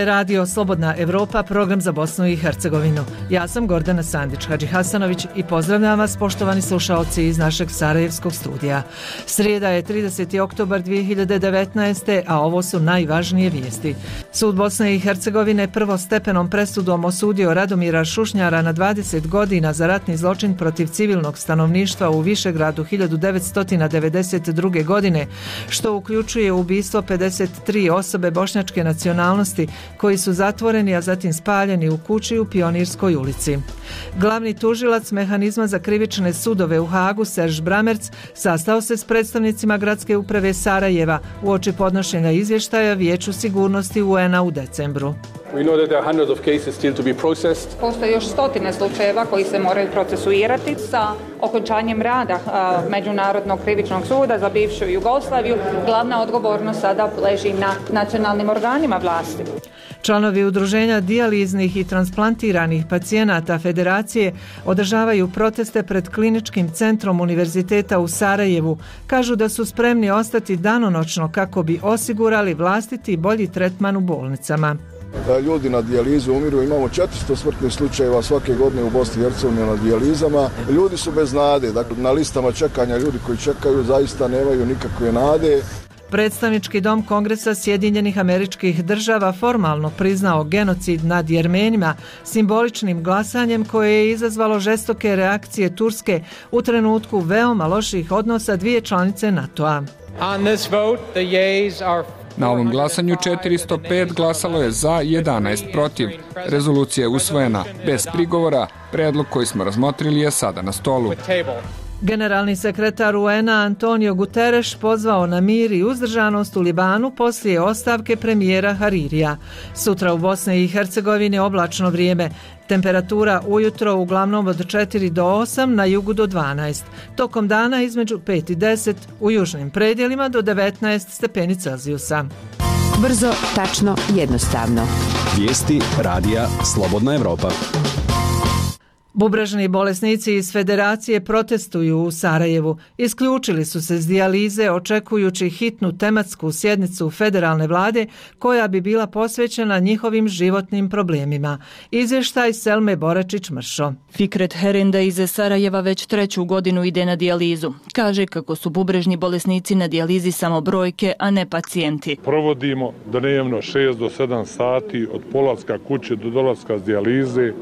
je radio Slobodna Evropa, program za Bosnu i Hercegovinu. Ja sam Gordana Sandić-Hadži Hasanović i pozdravljam vas, poštovani slušaoci iz našeg sarajevskog studija. Srijeda je 30. oktobar 2019. a ovo su najvažnije vijesti. Sud Bosne i Hercegovine prvostepenom presudom osudio Radomira Šušnjara na 20 godina za ratni zločin protiv civilnog stanovništva u Višegradu 1992. godine, što uključuje ubistvo 53 osobe bošnjačke nacionalnosti koji su zatvoreni, a zatim spaljeni u kući u Pionirskoj ulici. Glavni tužilac mehanizma za krivične sudove u Hagu, Serž Bramerc, sastao se s predstavnicima gradske uprave Sarajeva uoči podnošenja izvještaja Vijeću sigurnosti UN-a u decembru. Postoje još stotine slučajeva koji se moraju procesuirati. Sa okončanjem rada Međunarodnog krivičnog suda za bivšu Jugoslaviju glavna odgovornost sada leži na nacionalnim organima vlasti. Članovi udruženja dijaliznih i transplantiranih pacijenata Federacije održavaju proteste pred kliničkim centrom Univerziteta u Sarajevu. Kažu da su spremni ostati danonoćno kako bi osigurali vlastiti bolji tretman u bolnicama. Ljudi na dijalizu umiru, imamo 400 smrtnih slučajeva svake godine u Bosni i Hercegovini na dijalizama. Ljudi su bez nade, dakle na listama čekanja ljudi koji čekaju zaista nemaju nikakve nade. Predstavnički dom Kongresa Sjedinjenih Američkih Država formalno priznao genocid nad Jermenima simboličnim glasanjem koje je izazvalo žestoke reakcije Turske u trenutku veoma loših odnosa dvije članice NATO-a. Na ovom glasanju 405 glasalo je za, 11 protiv. Rezolucija je usvojena bez prigovora. Predlog koji smo razmotrili je sada na stolu. Generalni sekretar UN-a Antonio Guterres pozvao na mir i uzdržanost u Libanu poslije ostavke premijera Haririja. Sutra u Bosni i Hercegovini oblačno vrijeme. Temperatura ujutro uglavnom od 4 do 8, na jugu do 12. Tokom dana između 5 i 10, u južnim predjelima do 19 stepeni Celzijusa. Brzo, tačno, jednostavno. Vijesti radija Slobodna Evropa. Bubrežni bolesnici iz Federacije protestuju u Sarajevu. Isključili su se s dijalize očekujući hitnu tematsku sjednicu federalne vlade koja bi bila posvećena njihovim životnim problemima. Izvještaj Selme Boračić-Mršo. Fikret Herenda iz Sarajeva već 3. godinu ide na dijalizu. Kaže kako su bubrežni bolesnici na dijalizi samo brojke, a ne pacijenti. Provodimo dnevno 6 do 7 sati od polaska kuće do dolaska s dijalize.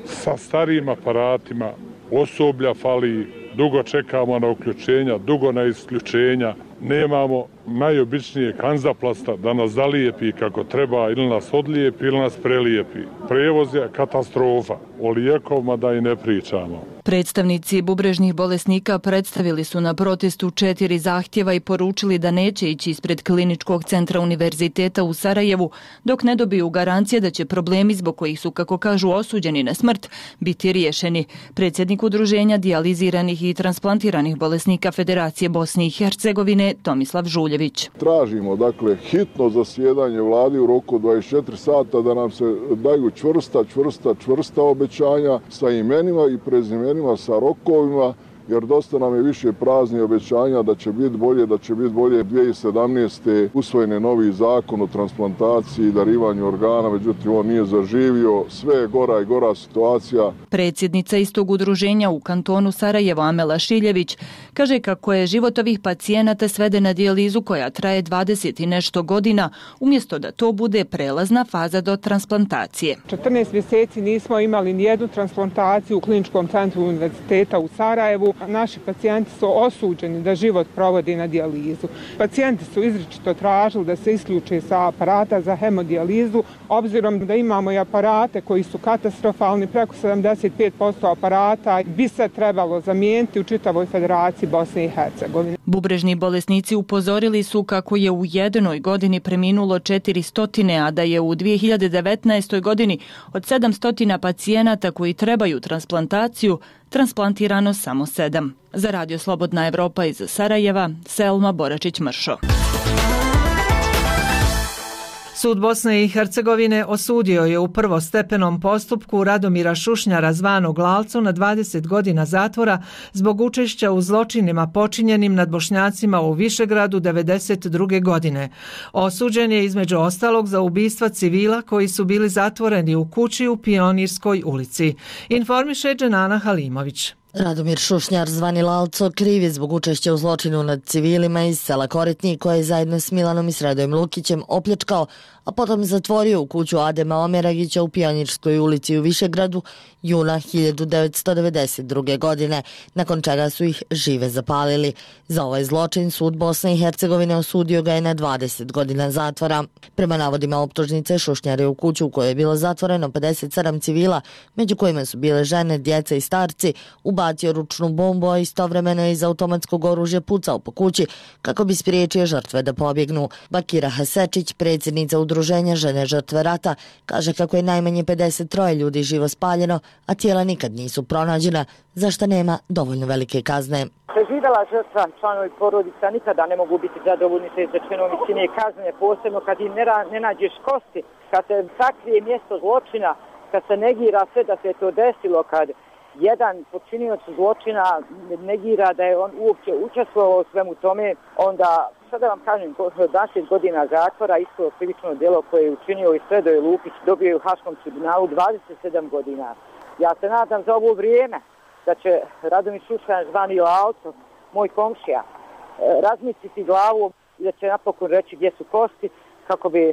Sa starijim aparatima, osoblja fali, dugo čekamo na uključenja, dugo na isključenja, nemamo najobičnije kanzaplasta da nas zalijepi kako treba ili nas odlijepi ili nas prelijepi. Prevoz je katastrofa, o lijekovima da i ne pričamo. Predstavnici bubrežnih bolesnika predstavili su na protestu 4 zahtjeva i poručili da neće ići ispred kliničkog centra Univerziteta u Sarajevu dok ne dobiju garancije da će problemi zbog kojih su, kako kažu, osuđeni na smrt biti riješeni. Predsjednik udruženja dijaliziranih i transplantiranih bolesnika Federacije Bosne i Hercegovine Tomislav Žuljević. Tražimo dakle hitno zasjedanje vlade u roku 24 sata da nam se daju čvrsta obećanja sa imenima i prezimenima, sa rokovima, jer dosta nam je više praznih obećanja da će biti bolje. 2017. usvojen je novi zakon o transplantaciji i darivanju organa, međutim on nije zaživio, sve je gora i gora situacija. Predsjednica istog udruženja u kantonu Sarajevo Amela Šiljević kaže kako je život ovih pacijenata sveden na dijalizu koja traje 20 i nešto godina, umjesto da to bude prelazna faza do transplantacije. 14 mjeseci nismo imali nijednu transplantaciju u kliničkom centru Univerziteta u Sarajevu. Naši pacijenti su osuđeni da život provodi na dijalizu. Pacijenti su izričito tražili da se isključe sa aparata za hemodijalizu, obzirom da imamo i aparate koji su katastrofalni, preko 75% aparata bi se trebalo zamijeniti u čitavoj Federaciji Bosne i Hercegovine. Bubrežni bolesnici upozorili su kako je u jednoj godini preminulo 400, a da je u 2019. godini od 700 pacijenata koji trebaju transplantaciju transplantirano samo 7. Za Radio Slobodna Evropa iz Sarajeva, Selma Boračić-Mršo. Sud Bosne i Hercegovine osudio je u prvostepenom postupku Radomira Šušnjara zvanog Lalcu na 20 godina zatvora zbog učešća u zločinima počinjenim nad Bošnjacima u Višegradu 1992. godine. Osuđen je između ostalog za ubistva civila koji su bili zatvoreni u kući u Pionirskoj ulici. Informiše Dženana Halimović. Radomir Šušnjar zvani Lalco kriv je zbog učešća u zločinu nad civilima iz sela Koritni koje je zajedno s Milanom i Sredojem Lukićem opljačkao, a potom zatvorio u kuću Adema Omeragića u Pionirskoj ulici u Višegradu juna 1992. godine, nakon čega su ih žive zapalili. Za ovaj zločin sud Bosne i Hercegovine osudio ga je na 20 godina zatvora. Prema navodima optužnice, Šušnjar je u kuću u kojoj je bilo zatvoreno 57 civila, među kojima su bile žene, djeca i starci, ubacio ručnu bombu, a istovremeno je iz automatskog oružja pucao po kući kako bi spriječio žrtve da pobjegnu. Bakira Hasečić, predsjednica Udruženja žene žrtve rata, kaže kako je najmanje 53 ljudi živo spaljeno, a tijela nikad nisu pronađena, za što nema dovoljno velike kazne. Preživjela žrtva, članovi porodica nikada ne mogu biti zadovoljni sa izrečenom visine kazne, posebno kad im ne nađeš kosti, kad se sakrije mjesto zločina, kad se negira sve da se to desilo, kad jedan počinioc zločina negira da je on uopće učestvovao u svemu tome, onda, sada vam kažem, 20 godina zatvora, isto krivično djelo koje je učinio i Sredoje Lukić, dobio je u Haškom tribunalu 27 godina. Ja se nadam za ovo vrijeme da će Radomir Šušnjar zvani Lalco, moj komšija, razmisliti glavu i da će napokon reći gdje su kosti kako bi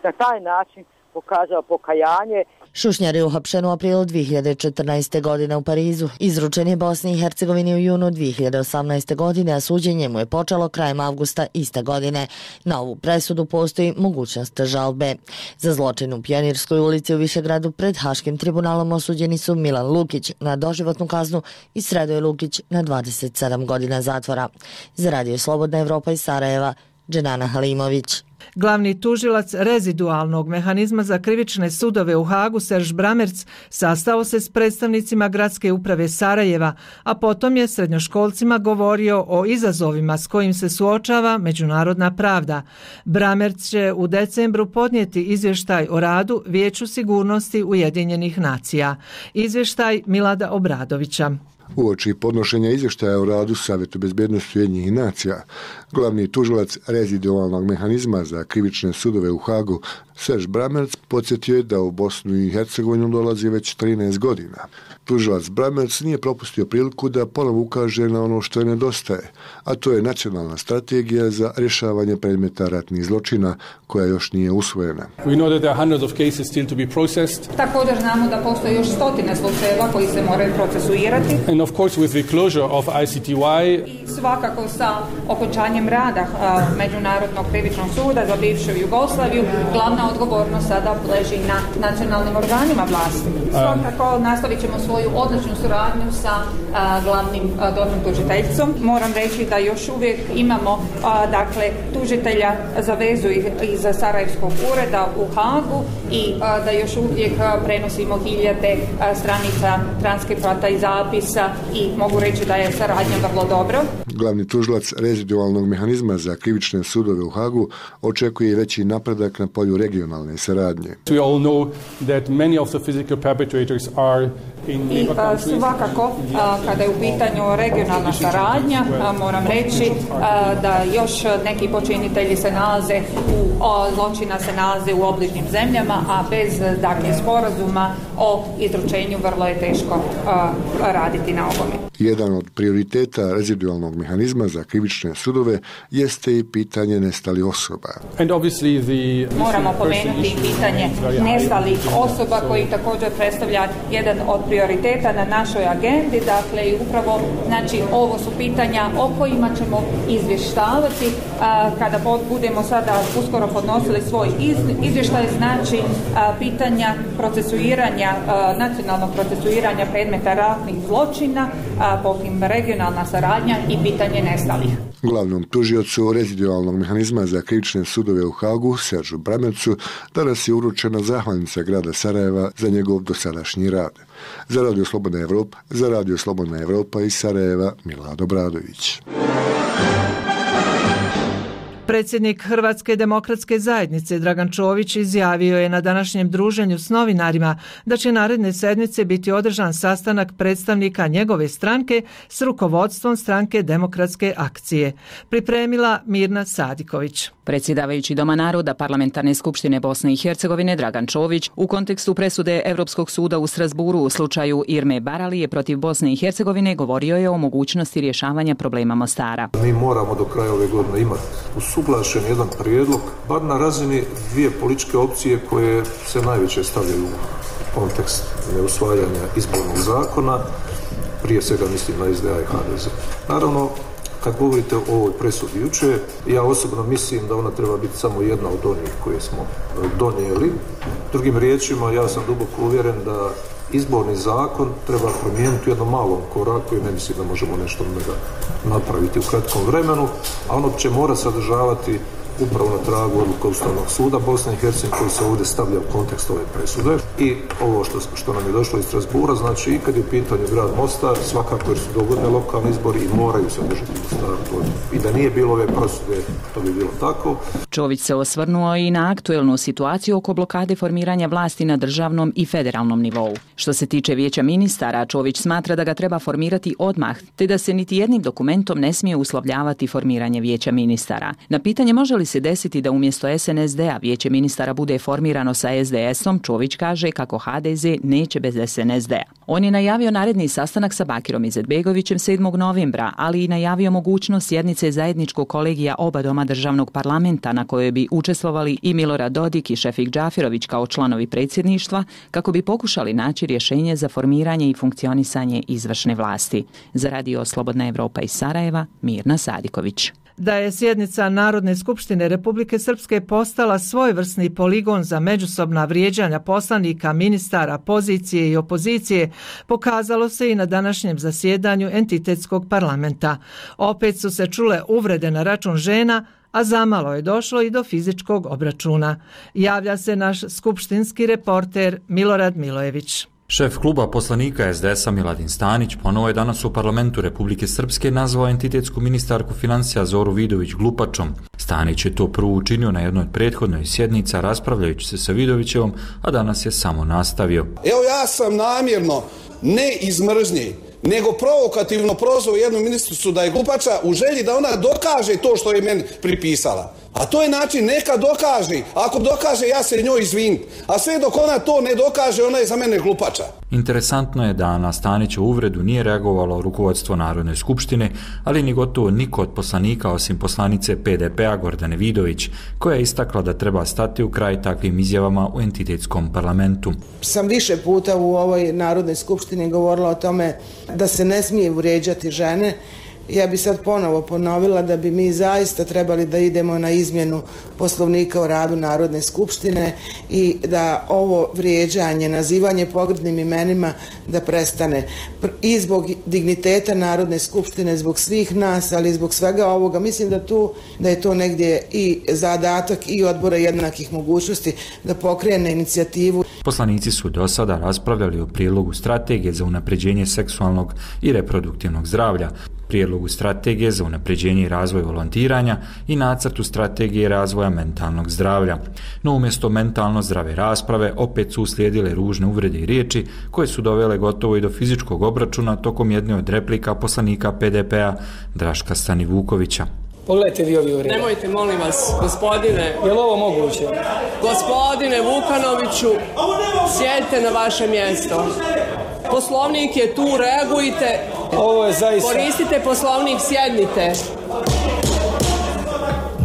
na taj način pokazao pokajanje. Šušnjar je uhapšen u aprilu 2014. godine u Parizu. Izručen je Bosni i Hercegovini u junu 2018. godine, a suđenje mu je počelo krajem avgusta iste godine. Na ovu presudu postoji mogućnost žalbe. Za zločin u Pionirskoj ulici u Višegradu pred Haškim tribunalom osuđeni su Milan Lukić na doživotnu kaznu i Sredoje Lukić na 27 godina zatvora. Za Radio Slobodna Evropa iz Sarajeva, Dženana Halimović. Glavni tužilac rezidualnog mehanizma za krivične sudove u Hagu, Serž Bramerc, sastao se s predstavnicima Gradske uprave Sarajeva, a potom je srednjoškolcima govorio o izazovima s kojim se suočava međunarodna pravda. Bramerc će u decembru podnijeti izvještaj o radu Vijeću sigurnosti Ujedinjenih nacija. Izvještaj Milada Obradovića. Uoči podnošenja izvještaja o radu Savjetu bezbjednosti Ujedinjenih nacija, glavni tužilac rezidualnog mehanizma za krivične sudove u Hagu, Serž Bramerc, podsjetio je da u Bosnu i Hercegovinu dolazi već 13 godina. Tužilac Bramerc nije propustio priliku da ponovo ukaže na ono što je nedostaje, a to je nacionalna strategija za rješavanje predmeta ratnih zločina koja još nije usvojena. Također znamo da postoje još stotine slučajeva koji se moraju procesuirati. And of course with the closure of ICTY, i svakako sa okončanjem rada Međunarodnog krivičnog suda za bivšu Jugoslaviju, glavna odgovornost sada leži na nacionalnim organima vlasti. Svakako nastavit ćemo svoju odličnu suradnju sa glavnim DORH tužiteljicom. Moram reći da još uvijek imamo tužitelja za vezu iz Sarajevskog ureda u Hagu i da još uvijek prenosimo hiljade stranica transkripata i zapisa i mogu reći da je saradnja vrlo dobro. Glavni tužilac rezidualnog mehanizma za krivične sudove u Hagu očekuje veći napredak na polju regionalne saradnje. We all know that many of the physical perpetrators are I svakako, kada je u pitanju regionalna saradnja, moram reći da još neki počinitelji se nalaze zločina se nalaze u obližnjim zemljama, a bez sporazuma o izručenju vrlo je teško raditi na ovome. Jedan od prioriteta rezidualnog mehanizma za krivične sudove jeste i pitanje nestalih osoba. Moramo pomenuti pitanje nestalih osoba koji također predstavlja jedan od prioriteta na našoj agendi, dakle i upravo ovo su pitanja o kojima ćemo izvještavati kada budemo sada uskoro podnosili svoj izvještaj, pitanja procesuiranja, nacionalnog procesuiranja predmeta ratnih zločina, potim regionalna saradnja i pitanje nestalih. Glavnom tužiocu rezidualnog mehanizma za krivične sudove u Hagu, Seržu Bramercu, danas je uručena zahvalnica grada Sarajeva za njegov dosadašnji rad. Za Radio Slobodna Evropa iz Sarajeva, Milad Obradović. Predsjednik Hrvatske demokratske zajednice Dragan Čović izjavio je na današnjem druženju s novinarima da će naredne sedmice biti održan sastanak predstavnika njegove stranke s rukovodstvom stranke Demokratske akcije. Pripremila Mirna Sadiković. Predsjedavajući Doma naroda Parlamentarne skupštine Bosne i Hercegovine Dragan Čović u kontekstu presude Europskog suda u Strasburu u slučaju Irme Baralije protiv Bosne i Hercegovine govorio je o mogućnosti rješavanja problema Mostara. Mi moramo do kraja ove godine imati usuglašen jedan prijedlog, bar na razini dvije političke opcije koje se najviše stavljaju u kontekst neusvajanja izbornog zakona, prije svega mislim na SDA i HDZ. Naravno, kad govorite o ovoj presudi jučer, ja osobno mislim da ona treba biti samo jedna od onih koje smo donijeli. Drugim riječima, ja sam duboko uvjeren da izborni zakon treba promijeniti u jednom malom koraku i ne mislim da možemo nešto napraviti u kratkom vremenu, a ono će mora sadržavati upravo na tragu odluka Ustavnog suda Bosne i Hercegovine koji se ovdje stavlja u kontekst ove presude. I ovo što nam je došlo iz Strasbura, znači i kad je u pitanju grad Mostar, svakako jer su dogodne lokalni izbori i moraju se održati u Mostaru. I da nije bilo ove presude, to bi bilo tako. Čović se osvrnuo i na aktuelnu situaciju oko blokade formiranja vlasti na državnom i federalnom nivou. Što se tiče vijeća ministara, Čović smatra da ga treba formirati odmah, te da se niti jednim dokumentom ne smije uslovljavati formiranje vijeća ministara. Na pitanje može li se desiti da umjesto SNSD-a vijeće ministara bude formirano sa SDS-om, Čović kaže kako HDZ neće bez SNSD-a. On je najavio naredni sastanak sa Bakirom Izetbegovićem 7. novembra, ali i najavio mogućnost sjednice zajedničkog kolegija oba doma državnog parlamenta na kojoj bi učestvovali i Milorad Dodik i Šefik Džafirović kao članovi predsjedništva kako bi pokušali naći rješenje za formiranje i funkcionisanje izvršne vlasti. Za Radio Slobodna Evropa iz Sarajeva, Mirna Sadiković. Da je sjednica Narodne skupštine Republike Srpske postala svojevrsni poligon za međusobna vrijeđanja poslanika, ministara, pozicije i opozicije, pokazalo se i na današnjem zasjedanju entitetskog parlamenta. Opet su se čule uvrede na račun žena, a zamalo je došlo i do fizičkog obračuna. Javlja se naš skupštinski reporter Milorad Milojević. Šef kluba poslanika SDS-a Miladin Stanić ponovo je danas u parlamentu Republike Srpske nazvao entitetsku ministarku financija Zoru Vidović glupačom. Stanić je to prvo učinio na jednoj prethodnoj sjednica raspravljajući se sa Vidovićevom, a danas je samo nastavio. Evo ja sam namjerno, ne iz mržnje, nego provokativno prozvao jednu ministricu da je glupača u želji da ona dokaže to što je meni pripisala. A to je način, neka dokaže. Ako dokaže, ja se njoj izvinim. A sve dok ona to ne dokaže, ona je za mene glupača. Interesantno je da na Stanićevu uvredu nije reagovalo rukovodstvo Narodne skupštine, ali ni gotovo niko od poslanika osim poslanice PDP-a Gordane Vidović, koja je istakla da treba stati u kraj takvim izjavama u entitetskom parlamentu. Sam više puta u ovoj Narodnoj skupštini govorila o tome da se ne smije vrijeđati žene. Ja bi sad ponovo ponovila da bi mi zaista trebali da idemo na izmjenu Poslovnika o radu Narodne skupštine i da ovo vrijeđanje, nazivanje pogrdnim imenima da prestane. I zbog digniteta Narodne skupštine, zbog svih nas, ali i zbog svega ovoga, mislim da je to negdje i zadatak i odbora jednakih mogućnosti da pokrene inicijativu. Poslanici su do sada raspravljali o prijedlogu strategije za unapređenje seksualnog i reproduktivnog zdravlja, prijedlogu strategije za unapređenje i razvoj volontiranja i nacrtu strategije razvoja mentalnog zdravlja. No umjesto mentalno zdrave rasprave opet su uslijedile ružne uvrede i riječi koje su dovele gotovo i do fizičkog obračuna tokom jedne od replika poslanika PDP-a Draška Stanivukovića. Pogledajte vi ovi uvrede. Nemojte, molim vas, gospodine. Je li ovo moguće? Gospodine Vukanoviću, sjedite na vaše mjesto. Poslovnik je tu, reagujte. Ovo je zaista... Koristite poslovnik, sjednite.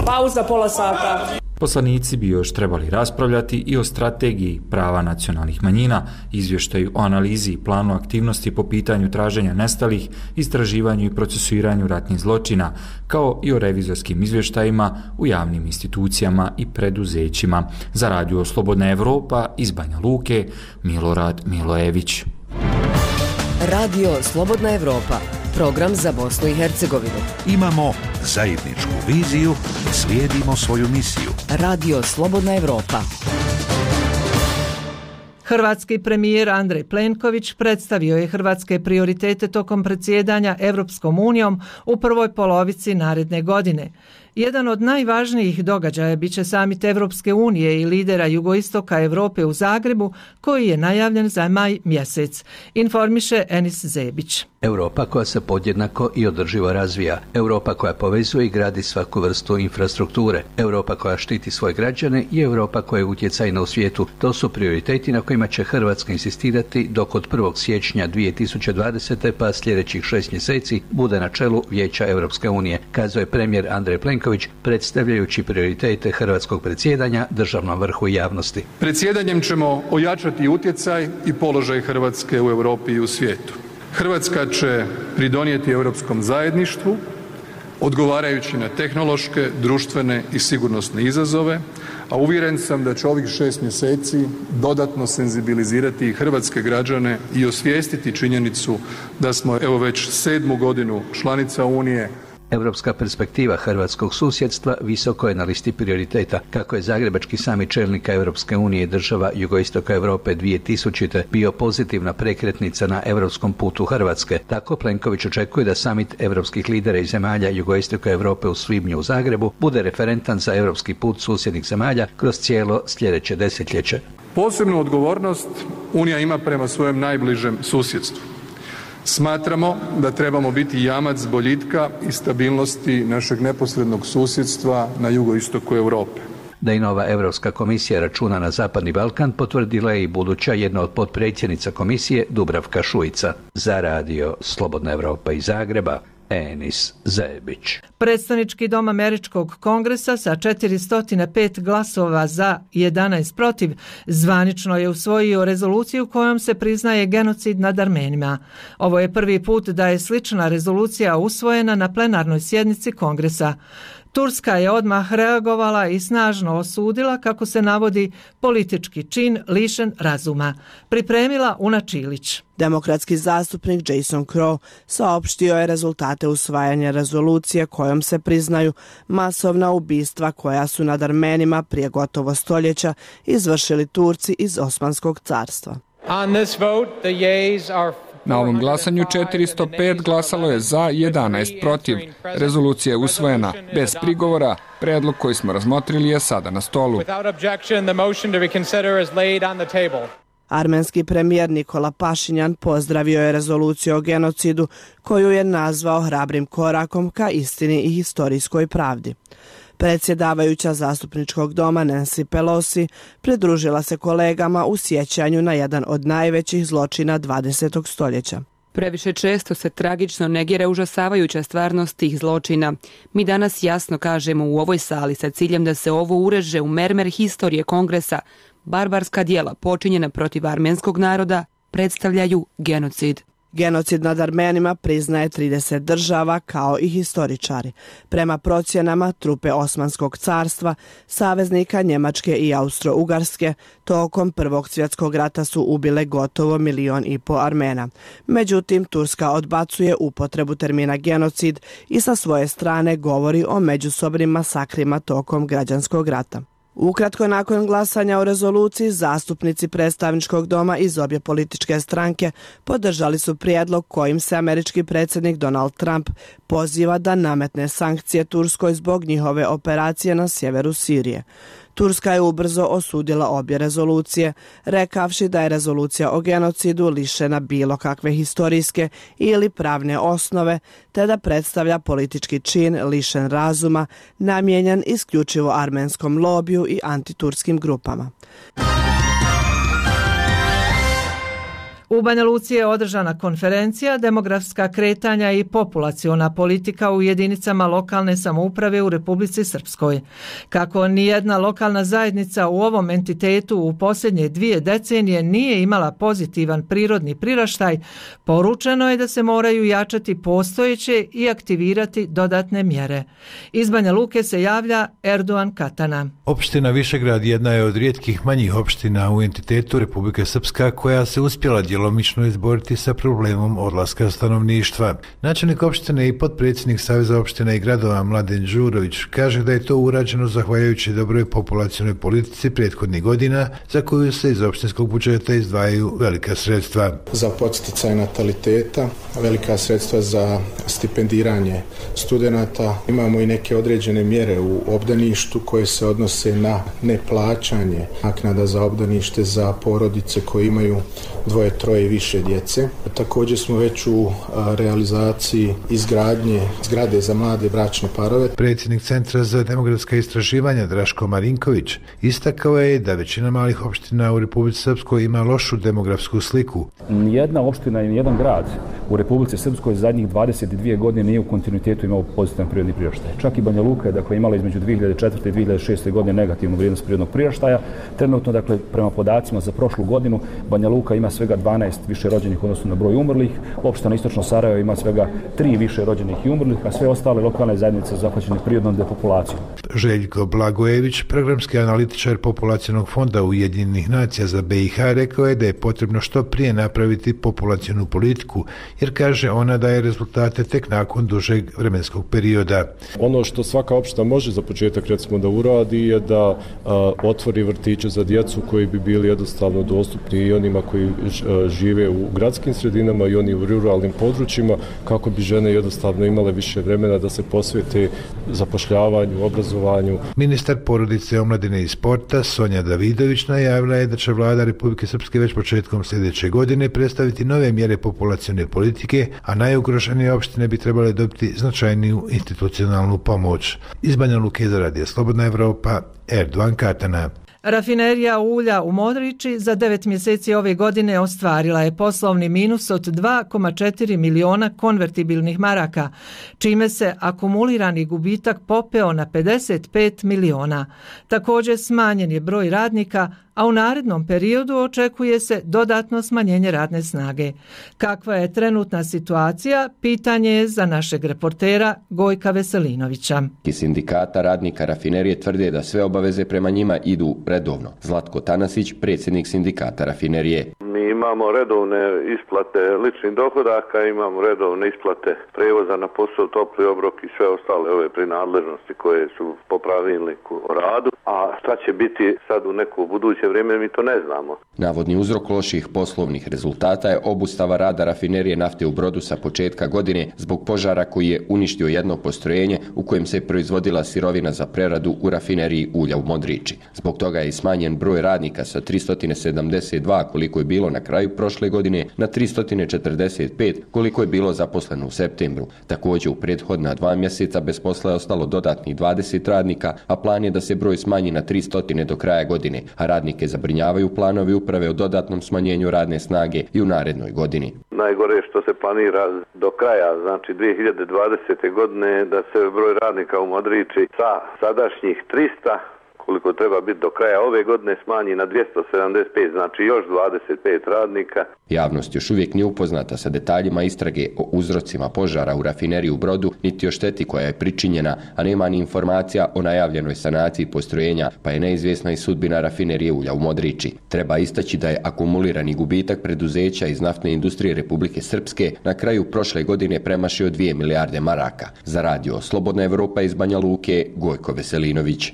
Pauza pola sata. Poslanici bi još trebali raspravljati i o strategiji prava nacionalnih manjina, izvještaju o analizi i planu aktivnosti po pitanju traženja nestalih, istraživanju i procesuiranju ratnih zločina, kao i o revizorskim izvještajima u javnim institucijama i preduzećima. Za Radio Slobodna Evropa iz Banja Luke, Milorad Milojević. Radio Slobodna Evropa, program za Bosnu i Hercegovinu. Imamo zajedničku viziju i slijedimo svoju misiju. Radio Slobodna Evropa. Hrvatski premijer Andrej Plenković predstavio je hrvatske prioritete tokom predsjedanja Europskom unijom u prvoj polovici naredne godine. Jedan od najvažnijih događaja biće samit Evropske unije i lidera jugoistoka Europe u Zagrebu, koji je najavljen za maj mjesec, informiše Enis Zebić. Europa koja se podjednako i održivo razvija, Europa koja povezuje i gradi svaku vrstu infrastrukture, Europa koja štiti svoje građane i Europa koja je utjecajna u svijetu. To su prioriteti na kojima će Hrvatska insistirati dok od 1. siječnja 2020. pa sljedećih 6 mjeseci bude na čelu Vijeća Europske unije, kazao je premijer Andrej Plenković predstavljajući prioritete hrvatskog predsjedanja državnom vrhu i javnosti. Predsjedanjem ćemo ojačati utjecaj i položaj Hrvatske u Europi i u svijetu. Hrvatska će pridonijeti europskom zajedništvu odgovarajući na tehnološke, društvene i sigurnosne izazove, a uvjeren sam da će ovih 6 mjeseci dodatno senzibilizirati i hrvatske građane i osvijestiti činjenicu da smo evo već 7. godinu članica Unije. Europska perspektiva hrvatskog susjedstva visoko je na listi prioriteta. Kako je Zagrebački samit čelnika Europske unije i država jugoistoka Europe 2000. bio pozitivna prekretnica na europskom putu Hrvatske, tako Plenković očekuje da samit europskih lidera i zemalja jugoistoka Europe u svibnju u Zagrebu bude referentan za europski put susjednih zemalja kroz cijelo sljedeće desetljeće. Posebnu odgovornost Unija ima prema svojem najbližem susjedstvu. Smatramo da trebamo biti jamac boljitka i stabilnosti našeg neposrednog susjedstva na jugoistoku Europe. Da i nova Europska komisija računa na Zapadni Balkan potvrdila je i buduća jedna od potpredsjednica komisije Dubravka Šuica. Za radio Slobodna Europa iz Zagreba, Enis Zebić. Predstavnički dom Američkog kongresa sa 405 glasova za 11 protiv zvanično je usvojio rezoluciju kojom se priznaje genocid nad Armenima. Ovo je prvi put da je slična rezolucija usvojena na plenarnoj sjednici kongresa. Turska je odmah reagovala i snažno osudila, kako se navodi, politički čin lišen razuma. Pripremila Una Čilić. Demokratski zastupnik Jason Crow saopštio je rezultate usvajanja rezolucije kojom se priznaju masovna ubistva koja su nad Armenima prije gotovo stoljeća izvršili Turci iz Osmanskog carstva. Na ovom glasanju 405 glasalo je za, 11 protiv. Rezolucija je usvojena bez prigovora. Predlog koji smo razmotrili je sada na stolu. Armenski premijer Nikola Pašinjan pozdravio je rezoluciju o genocidu koju je nazvao hrabrim korakom ka istini i historijskoj pravdi. Predsjedavajuća zastupničkog doma Nancy Pelosi pridružila se kolegama u sjećanju na jedan od najvećih zločina 20. stoljeća. Previše često se tragično negira užasavajuća stvarnost tih zločina. Mi danas jasno kažemo u ovoj sali sa ciljem da se ovo ureže u mermer historije Kongresa. Barbarska djela počinjena protiv armenskog naroda predstavljaju genocid. Genocid nad Armenima priznaje 30 država kao i historičari. Prema procjenama, trupe Osmanskog carstva, saveznika Njemačke i Austro-Ugarske, tokom Prvog svjetskog rata su ubile gotovo 1,5 milijuna Armena. Međutim, Turska odbacuje upotrebu termina genocid i sa svoje strane govori o međusobnim masakrima tokom građanskog rata. Ukratko nakon glasanja o rezoluciji, zastupnici predstavničkog doma iz obje političke stranke podržali su prijedlog kojim se američki predsjednik Donald Trump poziva da nametne sankcije Turskoj zbog njihove operacije na sjeveru Sirije. Turska je ubrzo osudila obje rezolucije, rekavši da je rezolucija o genocidu lišena bilo kakve historijske ili pravne osnove, te da predstavlja politički čin lišen razuma, namijenjen isključivo armenskom lobiju i antiturskim grupama. U Banja Luci je održana konferencija Demografska kretanja i populaciona politika u jedinicama lokalne samouprave u Republici Srpskoj. Kako nijedna lokalna zajednica u ovom entitetu u posljednje 2 decenije nije imala pozitivan prirodni priraštaj, poručeno je da se moraju jačati postojeće i aktivirati dodatne mjere. Iz Banja Luke se javlja Erdogan Katana. Opština Višegrad jedna je od rijetkih manjih opština u entitetu Republike Srpska koja se uspjela djelomično izboriti sa problemom odlaska stanovništva. Načelnik opštine i potpredsjednik Saveza opština i gradova Mladen Đurović kaže da je to urađeno zahvaljujući dobroj populacionoj politici prethodnih godina za koju se iz opštinskog budžeta izdvajaju velika sredstva. Za podsticaj nataliteta, velika sredstva za stipendiranje studenata. Imamo i neke određene mjere u obdaništu koje se odnose na neplaćanje naknada za obdanište za porodice koje imaju 2, 3 i više djece. Također smo već u realizaciji izgradnje zgrade za mlade bračne parove. Predsjednik Centra za demografska istraživanja Draško Marinković istakao je da većina malih opština u Republici Srpskoj ima lošu demografsku sliku. Nijedna opština i nijedan grad u Republici Srpskoj zadnjih 22 godine nije u kontinuitetu imao pozitivan prirodni priraštaj. Čak i Banja Luka je imala između 2004. i 2006. godine negativnu vrijednost prirodnog priraštaja. Trenutno, prema podacima za prošlu godinu, Banja Luka ima svega 12 više rođenih u odnosu na broj umrlih, opština Istočno Sarajevo ima svega 3 više rođenih i umrlih, a sve ostale lokalne zajednice zahvaćene prirodnom depopulacijom. Željko Blagojević, programski analitičar Populacionog fonda Ujedinjenih nacija za BiH, rekao je da je potrebno što prije napraviti populacionu politiku, jer kaže ona daje rezultate tek nakon dužeg vremenskog perioda. Ono što svaka opština može za početak recimo da uradi je da otvori vrtiće za djecu koji bi bili jednostavno dostupni i onima koji žive u gradskim sredinama i oni u ruralnim područjima, kako bi žene jednostavno imale više vremena da se posvete zapošljavanju, obrazovanju. Ministar porodice, omladine i sporta Sonja Davidović najavila je da će vlada Republike Srpske već početkom sljedeće godine predstaviti nove mjere populacione politike, a najugroženije opštine bi trebale dobiti značajniju institucionalnu pomoć. Iz Banja Luke za Radio Slobodna Evropa, Erdogan Katana. Rafinerija ulja u Modriči za 9 mjeseci ove godine ostvarila je poslovni minus od 2,4 miliona konvertibilnih maraka, čime se akumulirani gubitak popeo na 55 miliona. Također smanjen je broj radnika, a u narednom periodu očekuje se dodatno smanjenje radne snage. Kakva je trenutna situacija, pitanje je za našeg reportera Gojka Veselinovića. Sindikata radnika rafinerije tvrde da sve obaveze prema njima idu redovno. Zlatko Tanasić, predsjednik sindikata rafinerije. Mi imamo redovne isplate ličnih dohodaka, imamo redovne isplate prevoza na posao, topli obrok i sve ostale ove prinadležnosti koje su po pravilniku o radu. A šta će biti sad u neko buduće vrijeme, mi to ne znamo. Navodni uzrok loših poslovnih rezultata je obustava rada rafinerije nafte u Brodu sa početka godine zbog požara koji je uništio jedno postrojenje u kojem se proizvodila sirovina za preradu u rafineriji ulja u Modriči. Zbog toga je smanjen broj radnika sa 372 koliko je bilo na kraju prošle godine na 345 koliko je bilo zaposleno u septembru. Također u prethodna 2 mjeseca bez posla je ostalo dodatnih 20 radnika, a plan je da se broj smanji na 300 do kraja godine, a radnike zabrinjavaju planovi uprave o dodatnom smanjenju radne snage i u narednoj godini. Najgore što se planira do kraja, znači 2020. godine, da se broj radnika u Modriči sa sadašnjih 300 koliko treba biti do kraja ove godine smanji na 275, znači još 25 radnika. Javnost još uvijek nije upoznata sa detaljima istrage o uzrocima požara u rafineriji u Brodu, niti o šteti koja je pričinjena, a nema ni informacija o najavljenoj sanaciji postrojenja, pa je neizvjesna i sudbina rafinerije ulja u Modriči. Treba istaći da je akumulirani gubitak preduzeća iz naftne industrije Republike Srpske na kraju prošle godine premašio 2 milijarde maraka. Za Radio Slobodna Evropa iz Banja Luke, Gojko Veselinović.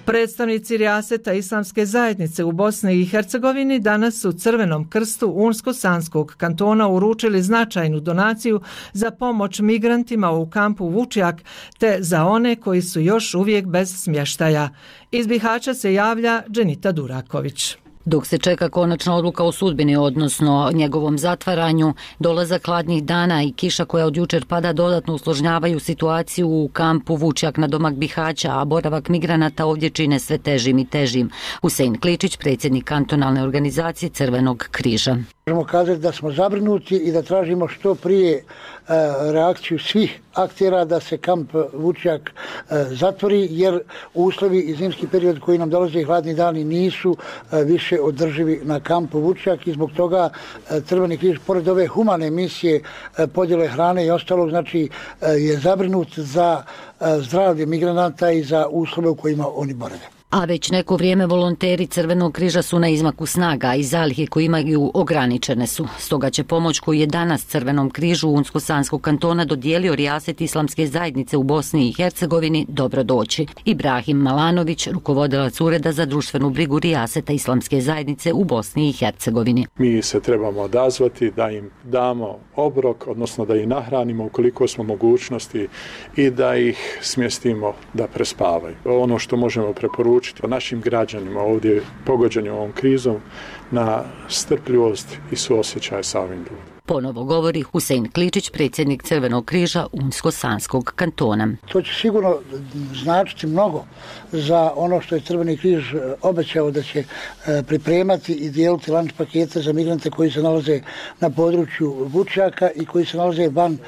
Predstavnici Rijaseta Islamske zajednice u Bosni i Hercegovini danas su Crvenom krstu Unsko-Sanskog kantona uručili značajnu donaciju za pomoć migrantima u kampu Vučjak te za one koji su još uvijek bez smještaja. Iz Bihaća se javlja Dženita Duraković. Dok se čeka konačna odluka o sudbini, odnosno njegovom zatvaranju, dolazak hladnih dana i kiša koja od jučer pada dodatno usložnjavaju situaciju u kampu Vučjak na domak Bihaća, a boravak migranata ovdje čine sve težim i težim. Husein Kličić, predsjednik kantonalne organizacije Crvenog križa. Možemo kazati da smo zabrinuti i da tražimo što prije reakciju svih aktera da se kamp Vučjak zatvori, jer uslovi i zimski period koji nam dolaze i hladni dani nisu više održivi na kampu Vučjak i zbog toga Crveni križ, pored ove humane misije podjele hrane i ostalog, znači je zabrinut za zdravlje migranata i za uslove u kojima oni borave. A već neko vrijeme volonteri Crvenog križa su na izmaku snaga i zalihe koje imaju ograničene su. Stoga će pomoć koju je danas Crvenom križu Unsko-Sanskog kantona dodijelio Rijaset Islamske zajednice u Bosni i Hercegovini dobro doći. Ibrahim Malanović, rukovodilac Ureda za društvenu brigu Rijaseta Islamske zajednice u Bosni i Hercegovini. Mi se trebamo odazvati da im damo obrok, odnosno da ih nahranimo ukoliko smo mogućnosti i da ih smjestimo da prespavaju. Ono što možemo preporučiti našim građanima ovdje pogođenim ovom krizom na strpljivost i suosjećaj sa ovim ljudima. Ponovo govori Husein Kličić, predsjednik Crvenog križa Unsko-Sanskog kantona. To će sigurno značiti mnogo za ono što je Crveni križ obećao da će pripremati i dijeliti lunch pakete za migrante koji se nalaze na području Vučjaka i koji se nalaze van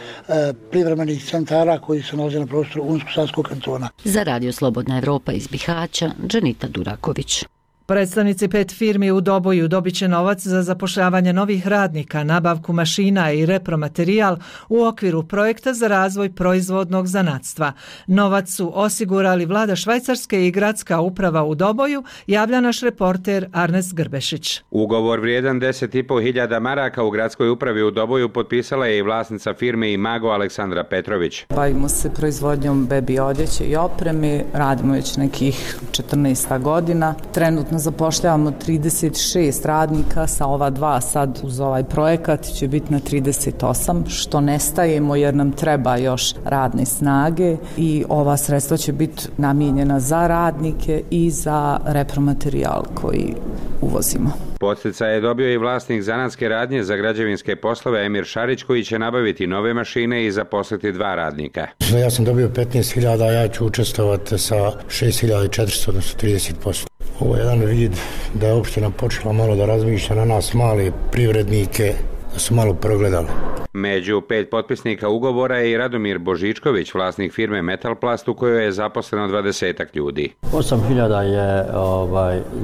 privremenih centara koji se nalaze na prostoru Unsko-Sanskog kantona. Za Radio Slobodna Evropa iz Bihaća, Dženita Duraković. Predstavnici 5 firmi u Doboju dobit će novac za zapošljavanje novih radnika, nabavku mašina i repromaterijal u okviru projekta za razvoj proizvodnog zanatstva. Novac su osigurali vlada Švajcarske i gradska uprava u Doboju, javlja naš reporter Arnes Grbešić. Ugovor vrijedan 10.500 maraka u gradskoj upravi u Doboju potpisala je i vlasnica firme Imago Aleksandra Petrović. Bavimo se proizvodnjom bebi odjeće i opreme, radimo već nekih 14 godina. Trenutno zapošljavamo 36 radnika, sa ova 2 sad uz ovaj projekat će biti na 38, što ne stajemo jer nam treba još radne snage i ova sredstva će biti namijenjena za radnike i za repromaterijal koji uvozimo. Podsticaj je dobio i vlasnik zanatske radnje za građevinske poslove Emir Šarić koji će nabaviti nove mašine i zaposliti 2 radnika. Ja sam dobio 15.000, a ja ću učestvovati sa 6.400, odnosno 30%. Ovo je jedan vid da je opština počela malo da razmišlja na nas male privrednike, da su malo progledali. Među 5 potpisnika ugovora je i Radomir Božičković, vlasnik firme Metalplast u kojoj je zaposleno 20 ljudi. 8.000 je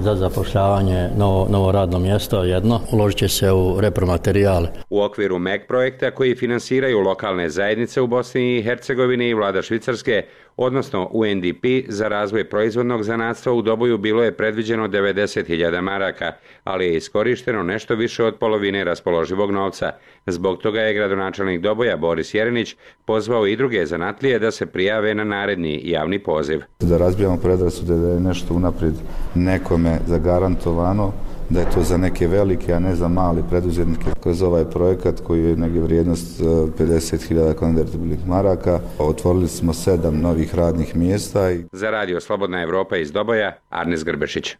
za zapošljavanje novo radno mjesto jedno. Uložit će se u repromaterijal. U okviru MEG projekta koji finansiraju lokalne zajednice u Bosni i Hercegovini i vlada Švicarske, odnosno UNDP, za razvoj proizvodnog zanatstva u Doboju bilo je predviđeno 90.000 maraka, ali je iskorišteno nešto više od polovine raspoloživog novca. Zbog toga je gradonačelnik Doboja Boris Jerinić pozvao i druge zanatlije da se prijave na naredni javni poziv. Da razbijamo predrasude da je nešto unaprijed nekome zagarantovano, da je to za neke velike, a ne za mali preduzetnike. Kroz ovaj projekat koji je negdje vrijednost 50.000 konvertibilnih maraka, otvorili smo 7 novih radnih mjesta. Za Radio Slobodna Evropa iz Doboja, Arnes Grbešić.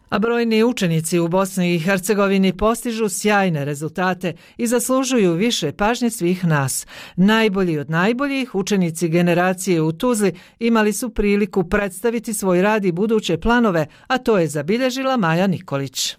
A brojni učenici u Bosni i Hercegovini postižu sjajne rezultate i zaslužuju više pažnje svih nas. Najbolji od najboljih učenici generacije u Tuzli imali su priliku predstaviti svoj rad i buduće planove, a to je zabilježila Maja Nikolić.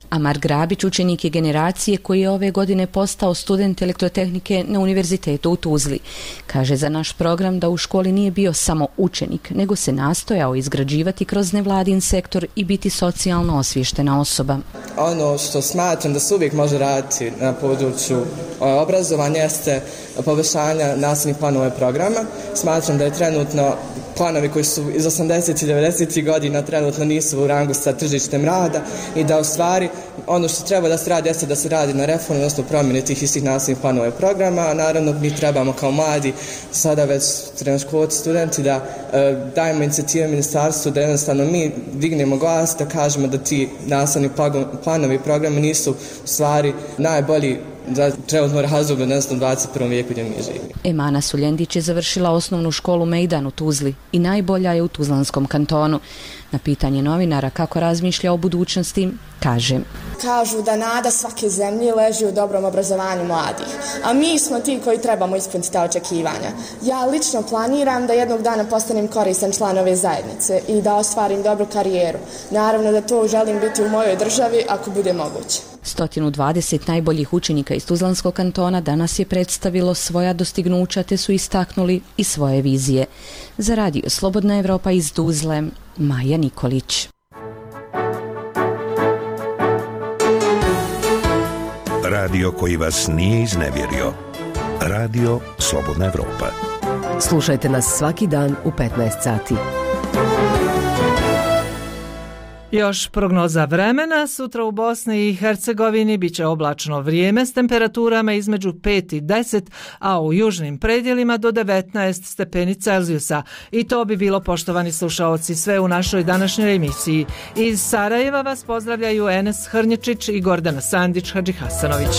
Amar Grabić učenik je generacije koji je ove godine postao student elektrotehnike na Univerzitetu u Tuzli. Kaže za naš program da u školi nije bio samo učenik, nego se nastojao izgrađivati kroz nevladin sektor i biti socijalno osviještena osoba. Ono što smatram da se uvijek može raditi na području obrazovanja jeste poboljšanja nastavnih planova programa. Smatram da je trenutno planovi koji su iz 80. i 90. godina trenutno nisu u rangu sa tržištem rada i da u stvari ono što treba da se radi jeste da se radi na reformu, odnosno promjeni tih istih nastavnih planova i programa, a naravno mi trebamo kao mladi, sada već srednjoškolci studenti, da dajemo inicijative ministarstvu, da jednostavno mi dignemo glas, da kažemo da ti nastavni planovi i programi nisu u stvari najbolji za trenutno razdoblje, odnosno 21. vijeku gdje mi živimo. Emana Suljendić je završila osnovnu školu Mejdan u Tuzli i najbolja je u Tuzlanskom kantonu. Na pitanje novinara kako razmišlja o budućnosti, kaže: Kažu da nada svake zemlje leži u dobrom obrazovanju mladih, a mi smo ti koji trebamo ispuniti ta očekivanja. Ja lično planiram da jednog dana postanem koristan član ove zajednice i da ostvarim dobru karijeru. Naravno da to želim biti u mojoj državi ako bude moguće. 120 najboljih učenika iz Tuzlanskog kantona danas je predstavilo svoja dostignuća te su istaknuli i svoje vizije. Za Radio Slobodna Evropa iz Tuzle, Maja Nikolić. Radio koji vas nije iznevjerio. Radio Slobodna Evropa. Slušajte nas svaki dan u 15 sati. Još prognoza vremena. Sutra u Bosni i Hercegovini bit će oblačno vrijeme s temperaturama između 5 i 10, a u južnim predjelima do 19 stepeni Celzijusa. I to bi bilo, poštovani slušaoci, sve u našoj današnjoj emisiji. Iz Sarajeva vas pozdravljaju Enes Hrnječić i Gordana Sandić Hadžihasanović.